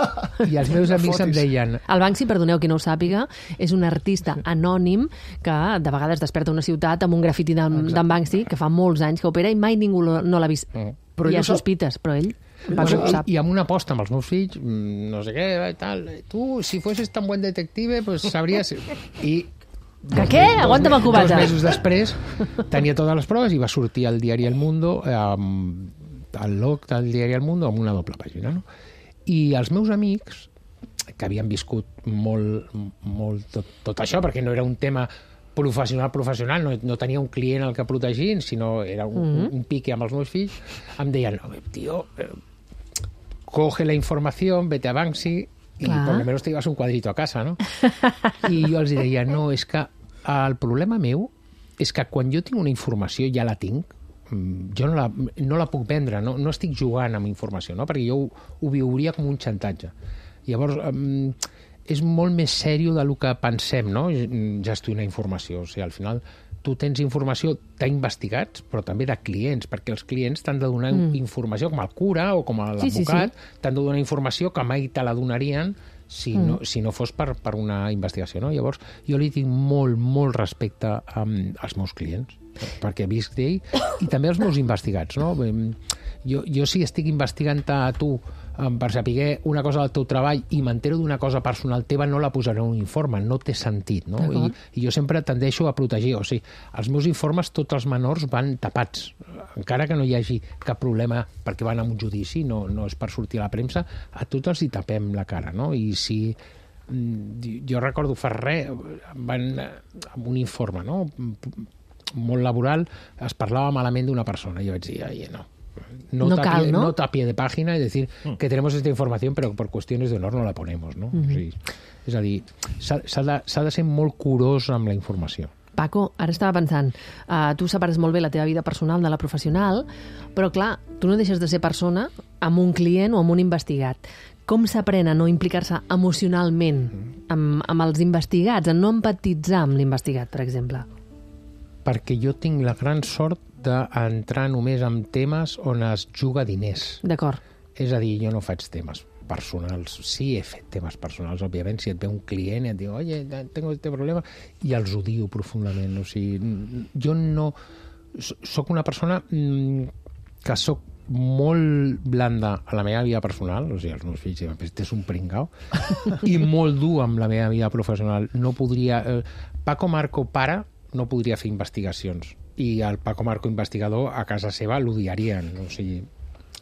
i els meus amics em deien... El Banksy, perdoneu qui no ho sàpiga, és un artista anònim que de vegades desperta una ciutat amb un grafiti d'en Banksy que fa molts anys que opera i mai ningú no l'ha vist. Mm. Però hi ha sospites, però ell... Bueno, i, I amb una aposta amb els meus fills, no sé què, tal, tu, si fossis tan buen detective, pues sabries... I que què? Aguanta'm el cubata. Dos mesos després tenia totes les proves i va sortir al diari El Mundo, eh, al log del diari El Mundo, amb una doble pàgina, no? I els meus amics, que havien viscut molt, molt tot, tot això, perquè no era un tema professional, professional, no, no tenia un client al que protegir, sinó era un, mm-hmm. un, un pique amb els meus fills, em deien, no, tio, eh, coge la informació, vete a Banksy i Clar. por lo menos te llevas un cuadrito a casa, no? I jo els deia, no, és que el problema meu és que quan jo tinc una informació ja la tinc, jo no la, no la puc vendre, no, no estic jugant amb informació, no? Perquè jo ho, ho viuria com un xantatge. Llavors, um, és molt més sèrio del que pensem, no? Gestionar informació. O sigui, al final, tu tens informació d'investigats, però també de clients, perquè els clients t'han de donar mm. informació, com el cura o com l'advocat, sí, sí, sí. t'han de donar informació que mai te la donarien si, mm. no, si no fos per, per una investigació, no? Llavors, jo li tinc molt, molt respecte um, als meus clients, perquè visc d'ell, i també els meus investigats, no? Jo, jo si estic investigant a tu um, per saber una cosa del teu treball i m'entero d'una cosa personal teva, no la posaré en un informe, no té sentit, no? I, I jo sempre tendeixo a protegir, o sigui, els meus informes, tots els menors van tapats, encara que no hi hagi cap problema perquè van a un judici, no, no és per sortir a la premsa, a tots els hi tapem la cara, no? I si jo recordo fa res, van amb un informe, no? molt laboral, es parlava malament d'una persona. I jo vaig dir, oye, no. No, no tapie, cal, ¿no? No tapie de página, es decir, mm. que tenemos esta información, pero por cuestiones de honor no la ponemos, no? Mm-hmm. O sigui, és a dir, s'ha de, s'ha de ser molt curós amb la informació. Paco, ara estava pensant, uh, tu separes molt bé la teva vida personal de la professional, però clar, tu no deixes de ser persona amb un client o amb un investigat. Com s'aprèn a no implicar-se emocionalment amb, amb els investigats, a no empatitzar amb l'investigat, per exemple? Perquè jo tinc la gran sort d'entrar només en temes on es juga diners. D'acord. És a dir, jo no faig temes personals. Sí, he fet temes personals, òbviament. Si et ve un client i et diu, oye, tengo este problema, i els odio profundament. O sigui, jo no... Soc una persona que soc molt blanda a la meva vida personal, o sigui, els meus fills diuen, este és un pringao, i molt dur amb la meva vida professional. No podria... Paco Marco, pare, no podria fer investigacions. I el Paco Marco investigador a casa seva l'odiarien. O sigui,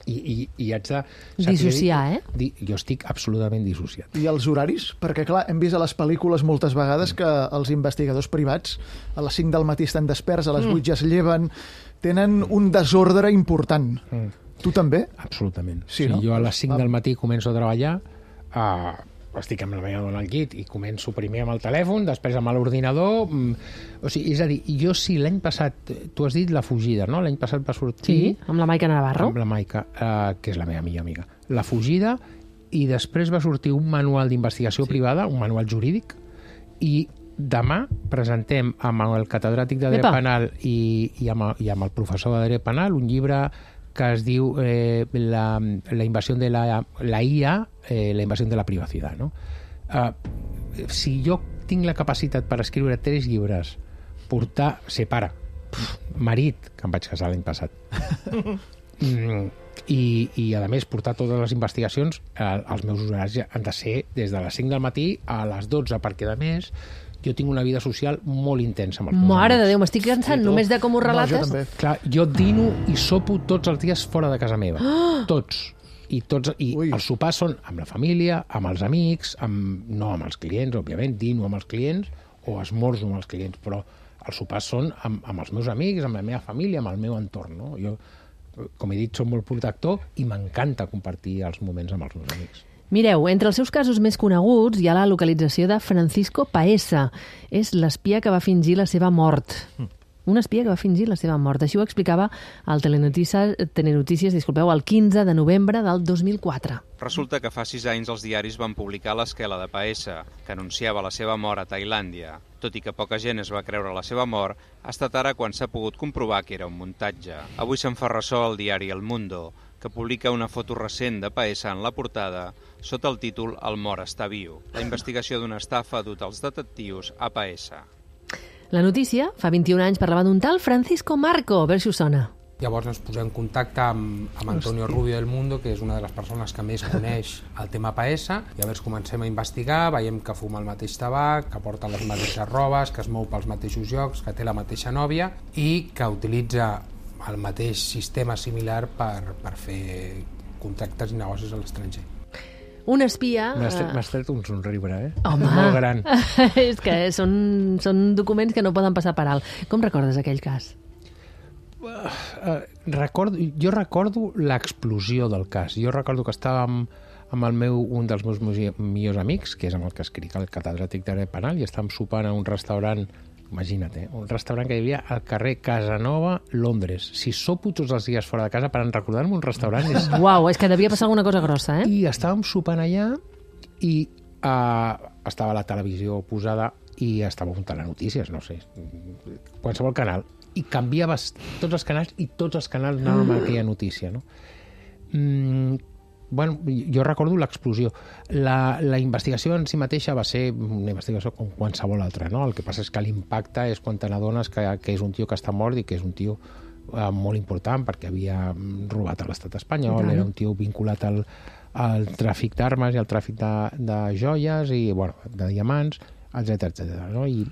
i, i, i haig de... Dissociar, eh? Di, jo estic absolutament dissociat. I els horaris? Perquè, clar, hem vist a les pel·lícules moltes vegades que els investigadors privats a les cinc del matí estan desperts, a les vuit ja es lleven, tenen un desordre important. Mm. Tu també? Absolutament. Sí, sí, no? Jo a les cinc del matí començo a treballar, a... estic amb la meva dona al llit i començo primer amb el telèfon, després amb l'ordinador. O sigui, és a dir, jo sí, l'any passat, tu has dit La fugida, no? L'any passat va sortir... Sí, amb la Maica Navarro. Amb la Maica, eh, que és la meva millor amiga. La fugida, i després va sortir un manual d'investigació sí. privada, un manual jurídic, i demà presentem amb el catedràtic de dret Epa. penal i, i, amb el, i amb el professor de dret penal un llibre que es diu eh, la, la invasió de la, la I A, eh, la invasió de la privacitat. No? Uh, si jo tinc la capacitat per escriure tres llibres, portar, ser pare, marit, que em vaig casar l'any passat, mm, i, i a més portar totes les investigacions, eh, els meus horaris han de ser des de les cinc del matí a les dotze, perquè a més jo tinc una vida social molt intensa amb els meus Mare de amics. Déu, m'estic cansant només de com ho No, jo relates. també. Clar, jo dino i sopo tots els dies fora de casa meva. Tots. I, tots, i Ui. els sopars són amb la família, amb els amics, amb, no amb els clients, òbviament, dino amb els clients o esmorzo amb els clients, però els sopars són amb, amb els meus amics, amb la meva família, amb el meu entorn. No? Jo, com he dit, soc molt protector i m'encanta compartir els moments amb els meus amics. Mireu, entre els seus casos més coneguts hi ha la localització de Francisco Paesa. És l'espia que va fingir la seva mort. Un espia que va fingir la seva mort. Així ho explicava el Telenotícies, Telenotícies disculpeu, el quinze de novembre del dos mil quatre. Resulta que fa sis anys els diaris van publicar l'esquela de Paesa, que anunciava la seva mort a Tailàndia. Tot i que poca gent es va creure la seva mort, ha estat ara quan s'ha pogut comprovar que era un muntatge. Avui se'n fa ressò el diari El Mundo, que publica una foto recent de Paesa en la portada sota el títol El mort està viu. La investigació d'una estafa ha dut els detectius a Paesa. La notícia, fa vint-i-un anys, parlava d'un tal Francisco Marco. A veure si us sona. Llavors ens posem en contacte amb, amb Antonio Rubio del Mundo, que és una de les persones que més coneix el tema Paesa, i llavors comencem a investigar, veiem que fuma el mateix tabac, que porta les mateixes robes, que es mou pels mateixos llocs, que té la mateixa nòvia i que utilitza el mateix sistema similar per, per fer contractes i negocis a l'estranger. Un espia... M'has tret, eh, m'has tret un somriure, eh? Home! Molt gran. És que són, són documents que no poden passar per alt. Com recordes aquell cas? Uh, recordo, jo recordo l'explosió del cas. Jo recordo que estàvem amb el meu, un dels meus millors amics, que és amb el que escric el catedràtic de dret penal, i estàvem sopant a un restaurant, imagina't, eh, un restaurant que hi havia al carrer Casanova, Londres. Si sopo tots els dies fora de casa per recordar-me un restaurant és... Uau, és que devia passar alguna cosa grossa, eh? I estàvem sopant allà i uh, estava la televisió posada i estava un telenotícies, no sé, qualsevol canal. I canviaves tots els canals i tots els canals anaven amb aquella notícia, no? Mm, bueno, jo recordo l'explosió. La, la investigació en si mateixa va ser una investigació com qualsevol altra, no? El que passa és que l'impacte és quan te n'adones que, que és un tio que està mort i que és un tio eh, molt important perquè havia robat a l'estat espanyol, era un tio vinculat al, al tràfic d'armes i al tràfic de, de joies i, bueno, de diamants, etcètera, etcètera, no? I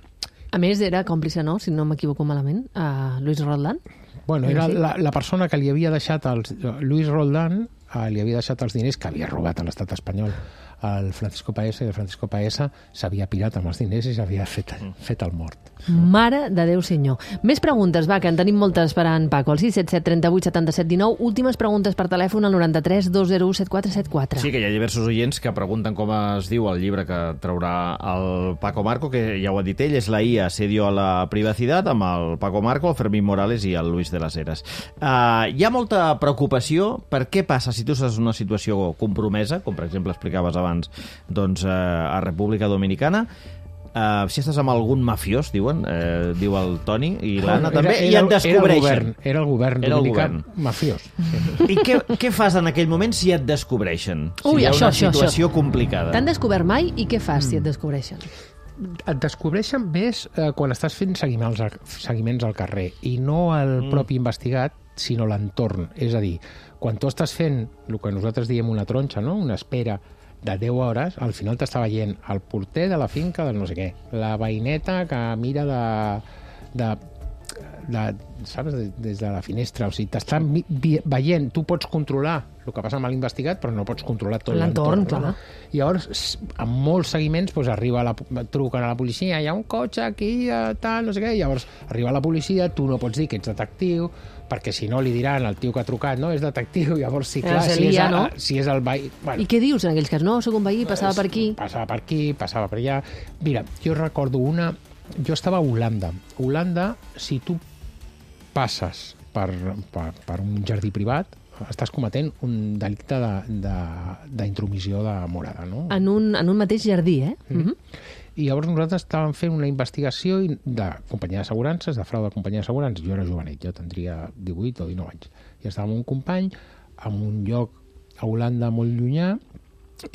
A més, era còmplice, no?, si no m'equivoco malament, a Luis Roldán. Bueno, era la, la persona que li havia deixat els... Luis Roldán eh, li havia deixat els diners que havia robat a l'estat espanyol al Francisco Paesa, i el Francisco Paesa s'havia pirat amb els diners i s'havia fet, fet el mort. Mare de Déu senyor. Més preguntes, va, que en tenim moltes per en Paco. El sis set set, trenta vuit, setanta set, dinou. Últimes preguntes per telèfon al noranta-tres dos zero u set quatre set quatre. Sí, que hi ha diversos oients que pregunten com es diu el llibre que traurà el Paco Marco, que ja ho ha dit ell, és la I A, Asedio a la Privacidad, amb el Paco Marco, el Fermín Morales i el Luis de las Heras. Uh, hi ha molta preocupació per què passa si tu estàs en una situació compromesa, com per exemple explicaves abans, doncs, uh, a República Dominicana. Uh, si estàs amb algun mafiós, diuen, uh, diu el Toni i l'Anna també, era, era, i et descobreixen. Era el govern, era el govern dominicà mafiós. Sí. I què, què fas en aquell moment si et descobreixen? Ui, si hi ha això, una això, situació això. complicada. T'han descobert mai i què fas si et descobreixen? Et descobreixen més eh, quan estàs fent seguiments al, seguiments al carrer i no el mm. propi investigat, sinó l'entorn. És a dir, quan tu estàs fent el que nosaltres diem una tronxa, no? Una espera de deu hores, al final t'està veient el porter de la finca del no sé què, la veïneta que mira de, de, de saps, des de la finestra, o sigui, t'estan veient, tu pots controlar el que passa amb l'investigat, però no pots controlar tot l'entorn. No? I llavors, amb molts seguiments, doncs arriba la, truquen a la policia, hi ha un cotxe aquí, tal, no sé què, i llavors arriba la policia, tu no pots dir que ets detectiu, perquè si no li diran al tio que ha trucat, no, és detectiu, llavors sí, clar, si és, el, no? si és el veí... Bueno, I què dius en aquells casos? No, soc un veí, passava per aquí. Passava per aquí, passava per allà. Mira, jo recordo una... Jo estava a Holanda. Holanda, si tu passes per, per, per un jardí privat, estàs cometent un delicte d'intromissió de, de, de morada, no? En un, en un mateix jardí, eh? Mm-hmm. Mm-hmm. I llavors nosaltres estàvem fent una investigació de companyia d'assegurances, de frau de companyia d'assegurances. Jo era jovenet, jo tindria divuit o dinou anys. I estàvem amb un company en un lloc a Holanda molt llunyà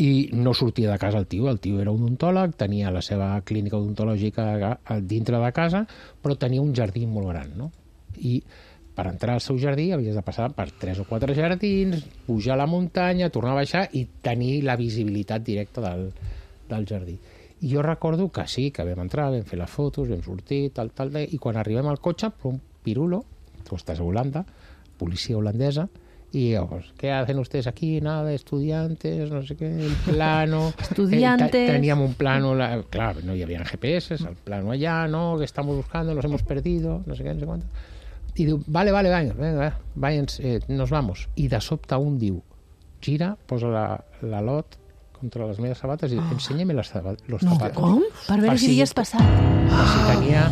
i no sortia de casa el tio. El tio era odontòleg, tenia la seva clínica odontològica dintre de casa, però tenia un jardí molt gran, no? I per entrar al seu jardí havies de passar per tres o quatre jardins, pujar a la muntanya, tornar a baixar i tenir la visibilitat directa del, del jardí. I jo recordo que sí, que vam entrar, vam fer les fotos, vam sortir, tal, tal, tal, i quan arribem al cotxe, un pirulo, tu estàs a Holanda, policia holandesa, y llavors, ¿qué hacen ustedes aquí? Nada, estudiantes, no sé qué, el plano... Estudiantes... Eh, teníem un plano, la, claro, no hi havia G P S, el plano allá, no, que estamos buscando, los hemos perdido, no sé qué, no sé cuánto. I diu, vale, vale, venga, venga, váyanse, eh, nos vamos. I de sobte un diu, gira, posa la, la lot contra les meves sabates i enséñame los zapatos. No, com? Per veure si havies passat. Per si tenia...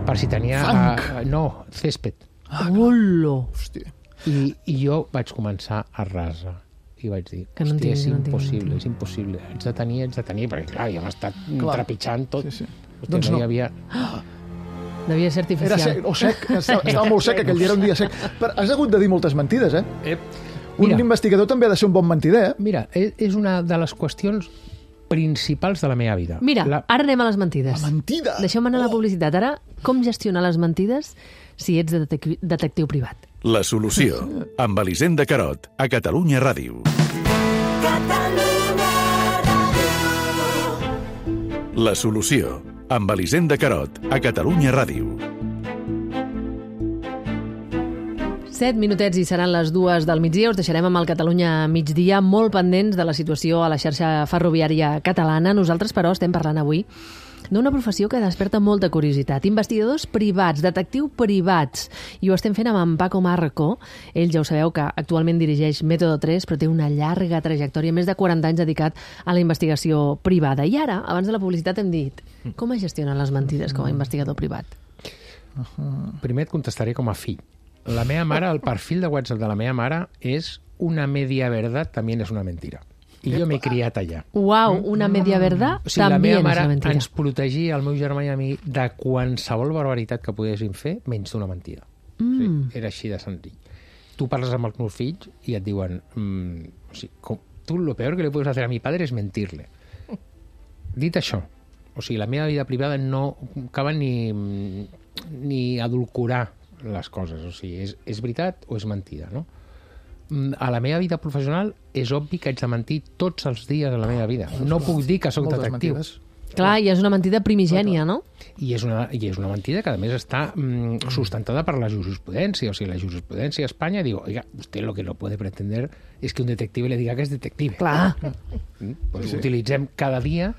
Per si tenia uh, no, césped. Hola! Hòstia. I, I jo vaig començar a rasa. I vaig dir, que no hòstia, és no impossible, no és impossible. Ets de tenir, ets de tenir, perquè clar, ja m'ha estat clar. trepitjant tot. Sí, sí. Hòstia, doncs no no. hi havia... Devia ser artificial. Era sec, o sec, estava, estava molt sec, aquell dia era un dia sec. Però has hagut de dir moltes mentides, eh? Eh, Un mira, investigador també ha de ser un bon mentider, eh? mira, és una de les qüestions principals de la meva vida. Mira, la... ara anem a les mentides. La mentida! Deixeu-me anar a la publicitat. Ara, com gestionar les mentides si ets detec detectiu privat? La solució, amb Elisenda Carot, a Catalunya Ràdio. Catalunya Ràdio. La solució, amb Elisenda Carot, a Catalunya Ràdio. Set minutets i seran les dues del migdia. Us deixarem amb el Catalunya migdia, molt pendents de la situació a la xarxa ferroviària catalana. Nosaltres, però, estem parlant avui d'una professió que desperta molta curiositat. Investigadors privats, detectiu privats. I ho estem fent amb en Paco Marco. Ell, ja ho sabeu, que actualment dirigeix Método tres, però té una llarga trajectòria, més de quaranta anys dedicat a la investigació privada. I ara, abans de la publicitat, hem dit com es gestionen les mentides com a investigador privat? Primer et contestaré com a fill. La meva mare, el perfil de WhatsApp de la meva mare és una media verdad, també és una mentira. I jo m'he criat allà. Uau, una media verdad, o sigui, la també meva és mare una mentira. ens protegia, el meu germà i a mi, de qualsevol barbaritat que poguéssim fer, menys d'una mentida. Mm. O sigui, era així de senzill. Tu parles amb els meus fills i et diuen mm, o sigui, com, tu lo peor que le puedes hacer a mi padre es mentirle. Dit això, o sigui, la meva vida privada no acaba ni, ni adulcorar les coses, o sigui, és, és veritat o és mentida, no? A la meva vida professional és obvi que haig de mentir tots els dies de la meva vida. No puc dir que sóc detectiu. Mentides. Clar, i és una mentida primigènia, no? I és una, i és una mentida que, a més, està mm, sustentada per la jurisprudència. O sigui, la jurisprudència a Espanya diu, oiga, usted lo que no puede pretender es que un detective le diga que es detective. Clar. Mm? Pues sí. Utilitzem cada dia...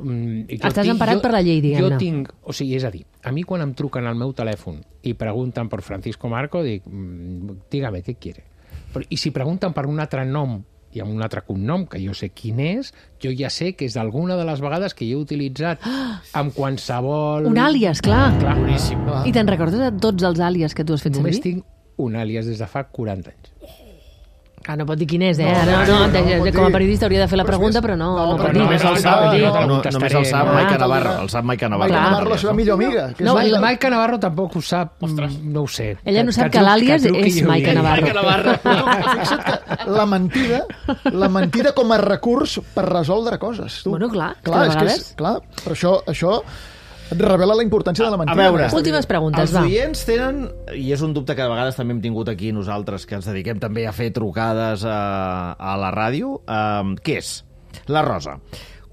Mm, Estàs emparat per la llei, diguem-ne. Jo tinc... O sigui, és a dir, a mi quan em truquen al meu telèfon i pregunten per Francisco Marco, dic, mm, dígame, què quiere? Però, i si pregunten per un altre nom i amb un altre cognom, que jo sé quin és, jo ja sé que és d'alguna de les vegades que jo he utilitzat amb qualsevol... Un àlies, clar. Clar, boníssim. I te'n recordes de tots els àlies que tu has fet Només servir? tinc un àlies des de fa quaranta anys. Que no pot dir quin és, eh? No, No, no, no, no, no pot com a dir. periodista hauria de fer la Però pregunta, és- però no, no, no però pot dir. Només el sap, no, no, no, no, només el sap no. Maica Ah, Navarro. El sap Maica Navarro. Maica Navarro, la seva millor amiga. Que és No, Laila. La Maica Navarro tampoc ho sap, no ho sé. Ella no sap que truqui- l'àlies truqui és i ho Maica digui. Navarro. Fixa't que la mentida, la mentida com a recurs per resoldre coses. Tu. Bueno, clar, clar, que de és que és, vegades- clar, però això, això et revela la importància de la mentida. A veure, Últimes preguntes, els va. oients tenen, i és un dubte que a vegades també hem tingut aquí nosaltres, que ens dediquem també a fer trucades a, a la ràdio, um, què és? La Rosa.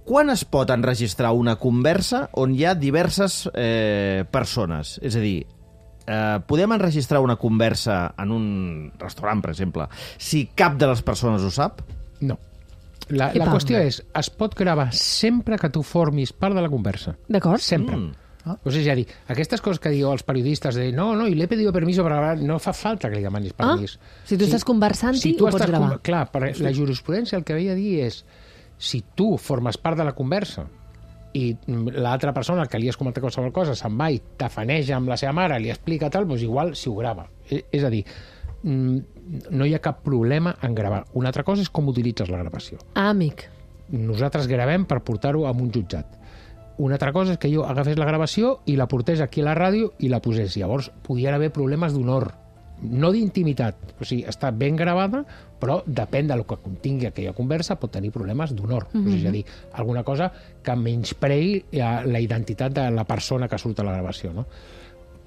Quan es pot enregistrar una conversa on hi ha diverses eh, persones? És a dir, eh, podem enregistrar una conversa en un restaurant, per exemple, si cap de les persones ho sap? No. La, Epa. la qüestió és, es pot gravar sempre que tu formis part de la conversa. D'acord? Sempre. Mm. Ah. O sigui, és a dir, aquestes coses que diu els periodistes de no, no, i l'he pedido permiso per gravar, no fa falta que li demanis Ah, permís. si tu estàs conversant-hi, tu ho pots estàs gravar. con- Clar, per la jurisprudència el que veia dir és si tu formes part de la conversa i l'altra persona, el que li has comentat qualsevol cosa, se'n va i tafaneja amb la seva mare, li explica tal, doncs igual si ho grava. És, és a dir, no hi ha cap problema en gravar. Una altra cosa és com utilitzes la gravació. Ah, amic. Nosaltres gravem per portar-ho a un jutjat. una altra cosa és que jo agafés la gravació i la portés aquí a la ràdio i la posés. Llavors podien haver problemes d'honor, no d'intimitat. O sigui, està ben gravada, però depèn del que contingui aquella conversa, pot tenir problemes d'honor. Mm-hmm. O sigui, és a dir, alguna cosa que menysprei la identitat de la persona que surt a la gravació, no?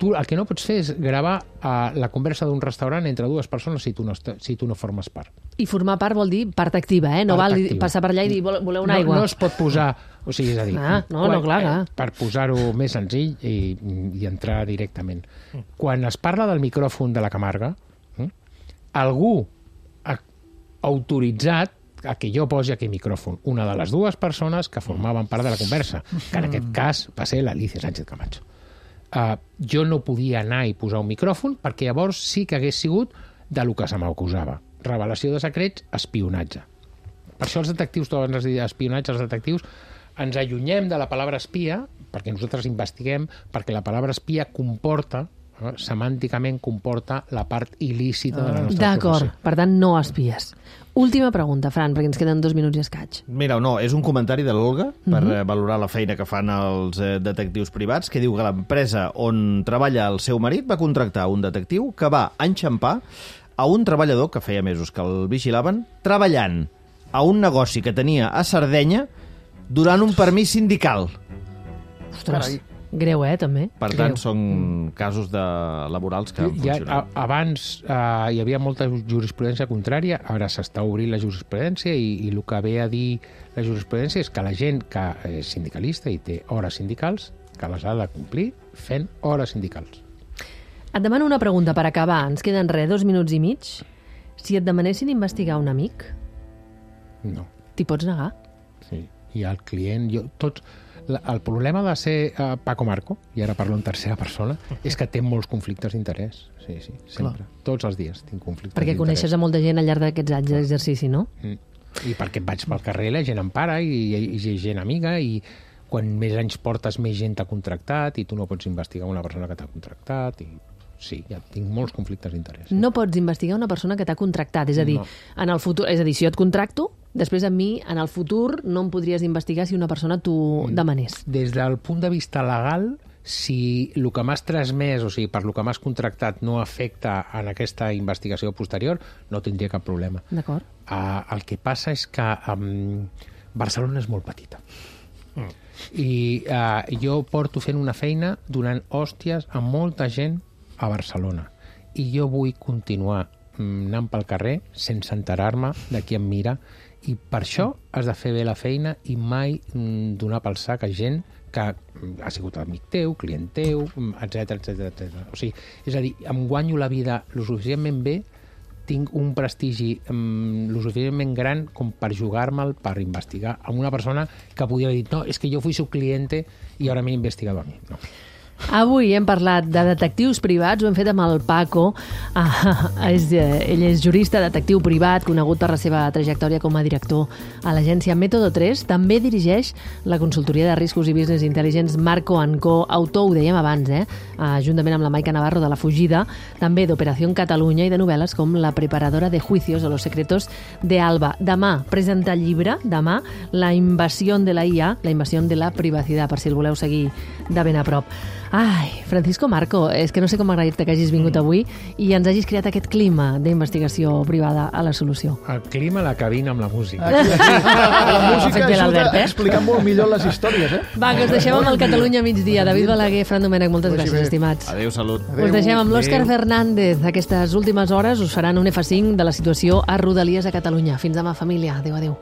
Tu el que no pots fer és gravar uh, la conversa d'un restaurant entre dues persones si tu no, si tu no formes part. I formar part vol dir part activa, eh? No part val activa. Passar per allà i dir voleu una no, aigua. No es pot posar... O sigui, és a dir... Ah, no, quan, no, clar, clar. Eh, per posar-ho més senzill i, i entrar directament. Quan es parla del micròfon de la Camarga, eh, algú ha autoritzat a que jo posi aquell micròfon. Una de les dues persones que formaven part de la conversa, que en aquest cas va ser l'Alicia Sánchez Camacho. Uh, jo no podia anar i posar un micròfon perquè llavors sí que hagués sigut de lo que se m'acusava. Revelació de secrets, espionatge. Per això els detectius, tu abans has dit espionatge, els detectius ens allunyem de la paraula espia perquè nosaltres investiguem, perquè la paraula espia comporta, eh, semànticament comporta la part il·lícita de la nostra D'acord, professió. per tant no espies. Última pregunta, Fran, perquè ens queden dos minuts i escaig. Mira, no, és un comentari de l'Olga per Mhm. eh, valorar la feina que fan els eh, detectius privats, que diu que l'empresa on treballa el seu marit va contractar un detectiu que va enxampar a un treballador que feia mesos que el vigilaven treballant a un negoci que tenia a Sardenya durant un permís sindical. Ostres, greu, eh, també? Per greu. tant, són casos de laborals que han Ja, funcionat. a, abans eh, hi havia molta jurisprudència contrària, ara s'està obrint la jurisprudència i, i el que ve a dir la jurisprudència és que la gent que és sindicalista i té hores sindicals, que les ha de complir fent hores sindicals. Et demano una pregunta per acabar. Ens queden res, dos minuts i mig. Si et demanessin investigar un amic, No. t'hi pots negar? Sí. I el client... Jo, tots, la, el problema de ser uh, Paco Marco, i ara parlo en tercera persona, és que té molts conflictes d'interès. Sí, sí, sempre. Clar. Tots els dies tinc conflictes Perquè d'interès. coneixes a molta gent al llarg d'aquests anys d'exercici, no? Mm. I perquè vaig pel carrer, la gent em para i, i, i gent amiga, i quan més anys portes, més gent t'ha contractat i tu no pots investigar una persona que t'ha contractat. I sí, ja tinc molts conflictes d'interès. Sí. No pots investigar una persona que t'ha contractat. És a dir, No. en el futur, és a dir, si jo et contracto, després a mi, en el futur, no em podries investigar si una persona t'ho demanés. Des del punt de vista legal, si el que m'has transmès, o sigui, per el que m'has contractat no afecta en aquesta investigació posterior, no tindria cap problema. D'acord? Uh, el que passa és que um, Barcelona és molt petita. Mm. I uh, jo porto fent una feina donant hòsties a molta gent a Barcelona. I jo vull continuar mm, anant pel carrer sense enterar-me de qui em mira. I per això has de fer bé la feina i mai mm, donar pel sac a gent que ha sigut amic teu, client teu, etcètera, etcètera, etcètera. O sigui, és a dir, em guanyo la vida lo suficientment bé, tinc un prestigi um, lo suficientment gran com per jugar-me'l, per investigar amb una persona que podia haver dit no, és que jo fui su cliente i ara m'he investigado a mi. No. Avui hem parlat de detectius privats, ho hem fet amb el Paco. Ah, és, eh, ell és jurista, detectiu privat, conegut per la seva trajectòria com a director a l'agència Método tres. També dirigeix la consultoria de riscos i business intelligence Marco and Co, autor, ho dèiem abans, eh? Ah, juntament amb la Maica Navarro de La Fugida, també d'Operació Catalunya i de novel·les com La preparadora de juicios o Los secretos de Alba. Demà presenta el llibre, demà, La invasió de la I A, la invasió de la privacitat, per si el voleu seguir de ben a prop. Ai, Francisco Marco, és que no sé com m'agrair-te que hagis vingut avui i ens hagis creat aquest clima d'investigació privada a La Solució. El clima, la cabina amb la música. Aquí, aquí. La música Fet bé ajuda l'Albert, a eh? explicar molt millor les històries, eh? Va, que us deixem amb el Catalunya a migdia. David Balaguer, Fran Domènech, moltes Vagi gràcies, bé. estimats. Adéu, salut. Adéu. Us deixem amb l'Òscar Adéu. Fernández. Aquestes últimes hores us faran un F cinc de la situació a Rodalies a Catalunya. Fins demà, família. Adéu, adéu.